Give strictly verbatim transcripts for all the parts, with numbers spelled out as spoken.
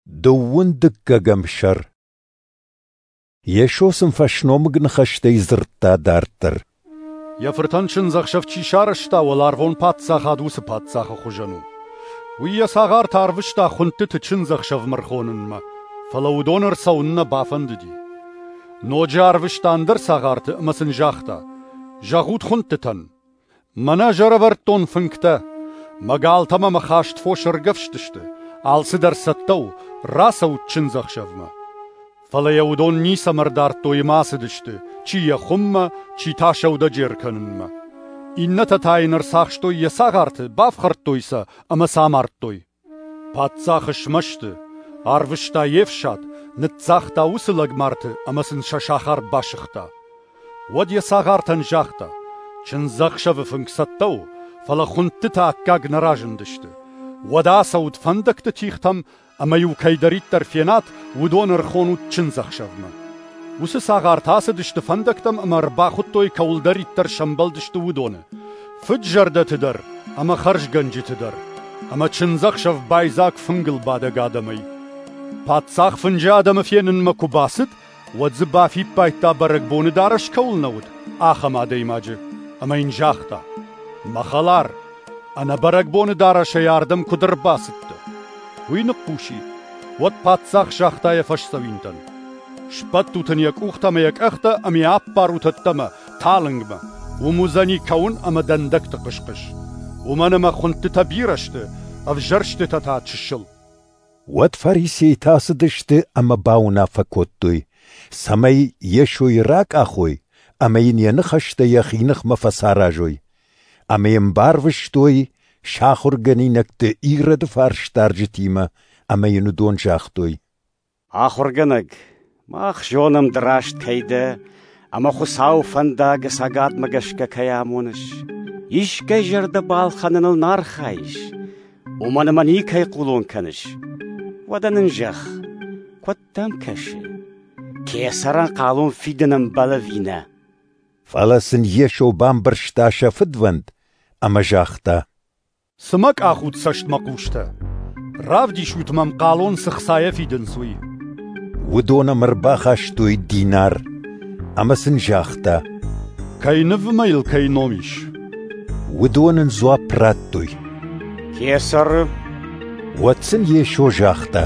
Дыууын дыккӕгӕм сӕр. Йесо сын фӕсномыг ныхӕстӕй дзырдта дарддӕр. Йӕ фыртӕн чындзӕхсӕв чи сарӕзта, уӕларвон паддзахад уыцы паддзахы хуызӕн у. Уый йӕ цагъарты арвыста хуындтыты чындзӕхсӕвмӕ ӕрхонынмӕ, фӕлӕ уыдон ӕрцӕуын нӕ бафӕндыди. Ноджы арвыста ӕндӕр цагъарты ӕмӕ сын загъта: «Зӕгъут хуындтытӕн: мӕнӕ ӕз ӕрӕвӕрдтон фынгтӕ, мӕ галтӕ ӕмӕ мӕ хаст фос ӕргӕвст сты, алцыдӕр цӕттӕ у, рацӕут чындзӕхсӕвмӕ». Фӕлӕ йӕ уыдон ницӕмӕ ӕрдардтой ӕмӕ ацыдысты, чи йӕ хуыммӕ, чи та сӕудӕджер кӕнынмӕ. Иннӕтӕ та йын ӕрцахстой йӕ цагъарты, бафхӕрдтой сӕ ӕмӕ сӕ амардтой. Паддзах смӕсты, арвыста йе фсад, ныццагъта уыцы лӕгмарты ӕмӕ сын сӕ сахар басыгъта. Уӕд йӕ цагъартӕн загъта: «Чындзӕхсӕвы фынг цӕттӕ у, фӕлӕ хуындтытӕ аккаг нӕ разындысты. Уӕдӕ ацӕут фӕндӕгты тигътӕм ӕмӕ-иу кӕйдӕриддӕр фенат, уыдон ӕрхонут чындзӕхсӕвмӕ». Уыцы цагъартӕ ацыдысты фӕндӕгтӕм ӕмӕ ӕрбахуыдтой, кӕуылдӕриддӕр сӕмбӕлдысты, уыдоны – фыд-зӕрдӕты дӕр ӕмӕ хӕрзгӕнджыты дӕр. Ӕмӕ чындзӕхсӕв байдзаг фынгыл бадӕг адӕмӕй. Паддзах фынджы адӕмы фенынмӕ куы бацыд, уӕд дзы бафиппайдта, бӕрӕгбоны дарӕс кӕуыл нӕ уыд, ахӕм адӕймаджы, ӕмӕ йын загъта: «Мӕ хӕлар, ӕнӕ бӕрӕгбоны дарӕсӕй ардӕм куыд ӕрбацыдтӕ?» Уый ныхъхъус и. Уӕд паддзах загъта йӕ фӕсдзӕуинтӕн: «Сбӕттут ын йӕ къухтӕ ӕмӕ йӕ къӕхтӕ ӕмӕ йӕ аппарут ӕддӕмӕ, талынгмӕ. Уым уыдзӕни кӕуын ӕмӕ дӕндӕгты хъыс-хъыс. Уымӕн ӕмӕ хуындтытӕ бирӕ сты, ӕвзӕрстытӕ та чысыл». Уӕд фарисейтӕ ацыдысты ӕмӕ бауынаффӕ кодтой, цӕмӕй Йесойы ракъахой ӕмӕ йын йӕ ныхӕстӕ йӕхи ныхмӕ фӕцаразой. Ӕмӕ йӕм барвыстой сӕ ахуыргӕнинӕгты Ироды фарсдарджытимӕ, ӕмӕ йын уыдон загътой: «Ахуыргӕнӕг, мах зонӕм, ды раст кӕй дӕ, ӕмӕ Хуыцауы фӕндаг ӕцӕгадмӕ гӕсгӕ кӕй амоныс. Искӕй зӕрдӕ балхӕныныл нӕ архайыс, уымӕн ӕмӕ никӕй хъулон кӕныс. Уӕдӕ нын зӕгъ, куыд дӕм кӕсы, кесӕрӕн хъалон фидын ӕмбӕлы ӕви нӕ?» Фӕлӕ сын Йесо бамбӕрста сӕ фыдвӕнд ӕмӕ загъта: «Цы мӕ къахут цӕстмӕхъустӕ? Равдисут мӕм, хъалон цы хцайӕ фидынц, уый». Уыдон ӕм ӕрбахастой динар, ӕмӕ сын загъта: «Кӕй ныв ӕмӕ йыл кӕй ном ис?» Уыдон ын дзуапп радтой: «Кесӕры». Уӕд сын Йесо загъта: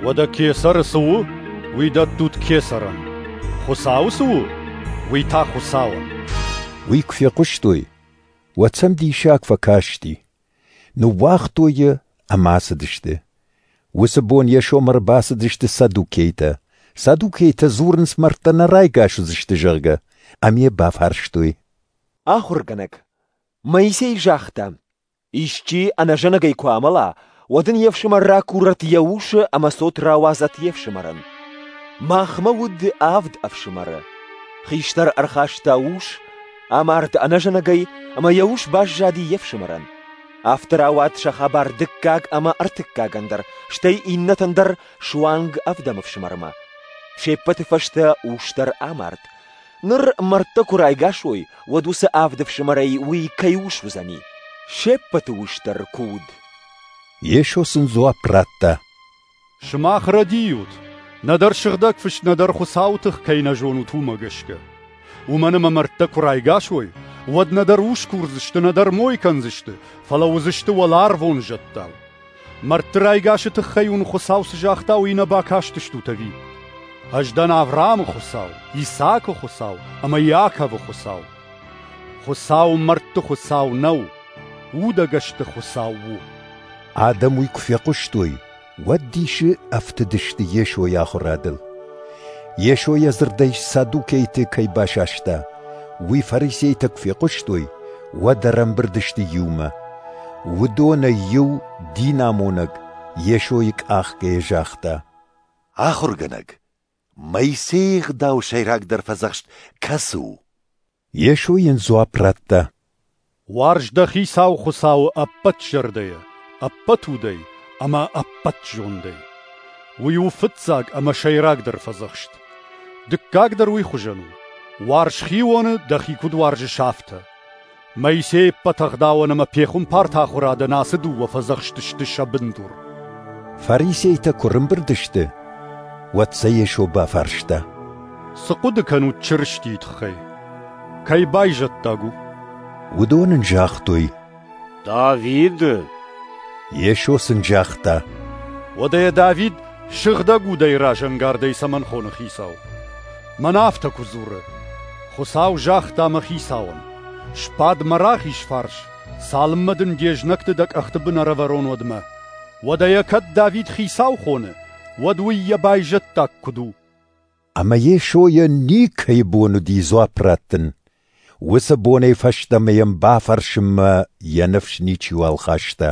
«Уӕдӕ кесӕры цы у, уый дӕттут кесӕрӕн, Хуыцауы цы у, уый та Хуыцауӕн». Уый куы фехъуыстой, уӕд сӕм диссаг фӕкасти. Ныууагътой йӕ ӕмӕ ацыдысты. Уыцы бон Йесомӕ ӕрбацыдысты саддукейтӕ. Саддукейтӕ дзурынц, мӕрдтӕ нӕ райгас уыдзысты, зӕгъгӕ, ӕмӕ йӕ бафарстой: «Ахуыргӕнӕг, Моисей загъта: исчи ӕнӕзӕнӕгӕй куы амӕла, уӕд ын йе фсымӕр ракурӕд йӕ усы ӕмӕ цот рауадзӕд йе фсымӕрӕн. Махмӕ уыд авд ӕфсымӕры. Хистӕр ӕрхаста ус, амард ӕнӕзӕнӕгӕй, ӕмӕ йӕ ус баззади йе фсымӕрӕн. Афтӕ рауад сӕ хабар дыккаг ӕмӕ ӕртыккагӕн дӕр, стӕй иннӕтӕн дӕр суанг ӕвдӕм ӕфсымӕрмӕ. Се ппӕты фӕстӕ ус дӕр амард. Ныр мӕрдтӕ куы райгас уой, уӕд уыцы авд ӕфсымӕрӕй уый кӕй ус уыдзӕни? Се ппӕты ус дӕр куы уыд». Йесо сын дзуапп радта: «Сымах рӕдийут, нӕдӕр Сыгъдӕг Фыст, нӕдӕр Хуыцауы тых кӕй нӕ зонут, уымӕ гӕсгӕ. Уымӕн ӕмӕ мӕрдтӕ куы райгас уой, уӕд нӕдӕр ус курдзысты, нӕдӕр мой кӕндзысты, фӕлӕ уыдзысты уӕларвон зӕдтау. Мӕрдты райгасы тыххӕй уын Хуыцау цы загъта, уый нӕ бакастыстут ӕви? Ӕз дӕн Авраамы Хуыцау, Исаакы Хуыцау ӕмӕ Иаковы Хуыцау. Хуыцау мӕрдты Хуыцау нӕу, удӕгӕсты Хуыцау у». Адӕм уый куы фехъуыстой, уӕд дисы ӕфтыдысты Йесойы ахуырадыл. Йесо йӕ дзырдӕй саддукейты кӕй басаста, уый фарисейтӕ куы фехъуыстой, уӕд ӕрӕмбырд сты иумӕ. Уыдонӕй иу, динамонӕг, Йесойы къахгӕйӕ загъта: «Ахуыргӕнӕг, Моисейы ӕгъдауы сӕйрагдӕр фӕдзӕхст кӕцы у?» Йесо йын дзуапп радта: «Уарз дӕ Хицау Хуыцауы ӕппӕт зӕрдӕйӕ, ӕппӕт удӕй ӕмӕ ӕппӕт зондӕй. Уый у фыццаг ӕмӕ сӕйрагдӕр фӕдзӕхст. Дыккаг дӕр уый хуызӕн у: уарз хионы, дӕхи куыд уарзыс, афтӕ. Моисейы ӕппӕт ӕгъдауӕн ӕмӕ пехуымпарты ахуырадӕн ацы дыууӕ фӕдзӕхсты сты сӕ бындур». Фарисейтӕ куы рымбырд сты, уӕд сӕ Йесо бафарста: Цы хъуыды кӕнут Чырыстийы тыххӕй? Кӕй байзӕддаг у? Уыдон ын загътой: Давиды. Йесо сын загъта: Уӕдӕ йӕ Давид Сыгъдӕг Удӕй разӕнгардӕй цӕмӕн хоны Хицау? Мӕнӕ афтӕ куы дзуры: Хуыцау загъта мӕ Хицауӕн: «Сбад мӕ рахиз фарс, цалынмӕ дын де знӕгты дӕ къӕхты бын ӕрӕвӕрон, уӕдмӕ». Уӕдӕ йӕ кӕд Давид Хицау хоны, уӕд уый йӕ байзӕддаг куыд у? Ӕмӕ Йесойӕн никӕй бон уыди дзуапп раттын. Уыцы бонӕй фӕстӕмӕ йӕм бафӕрсынмӕ йӕ ныфс ничиуал хаста.